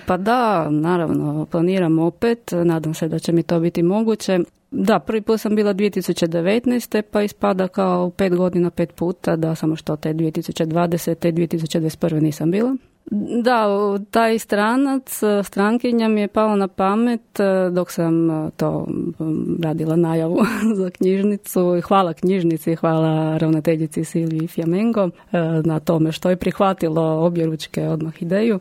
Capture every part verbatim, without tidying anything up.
Pa da, naravno, planiram opet, nadam se da će mi to biti moguće. Da, prvi put sam bila dvije tisuće devetnaeste pa ispada kao pet godina, pet puta, da samo što te dvije tisuće dvadesete i dvije tisuće dvadeset prve nisam bila. Da, taj stranac, strankinja mi je pala na pamet dok sam to radila najavu za knjižnicu. Hvala knjižnici, hvala ravnateljici Silviji Fjamengo na tome što je prihvatilo objeručke odmah ideju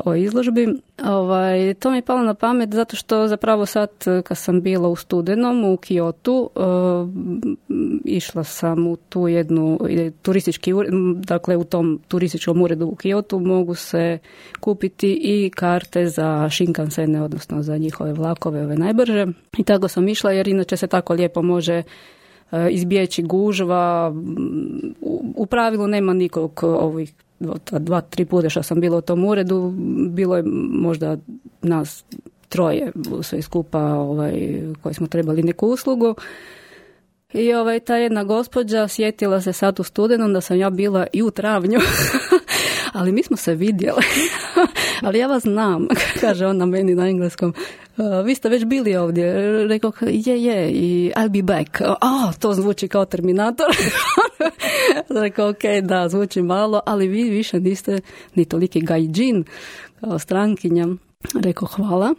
o izložbi. Ovaj, to mi je palo na pamet zato što zapravo sad kad sam bila u studenom u Kyotu, uh, išla sam u tu jednu turistički ured, dakle u tom turističkom uredu u Kyotu mogu se kupiti i karte za Shinkansene, odnosno za njihove vlakove, ove najbrže. I tako sam išla jer inače se tako lijepo može izbjeći gužva. U, u pravilu nema nikog ovih dva, tri puta što sam bila u tom uredu, bilo je možda nas troje sve skupa ovaj, koji smo trebali neku uslugu. I ovaj, ta jedna gospođa sjetila se sad u studenom da sam ja bila i u travnju, ali mi smo se vidjeli. Ali ja vas znam, kaže ona meni na engleskom. Uh, vi ste već bili ovdje. Rekao, je, je, i I'll be back. A, to zvuči kao Terminator. Rekao, ok, da, zvuči malo, ali vi više niste ni toliki gaijin kao strankinja. Rekao, hvala.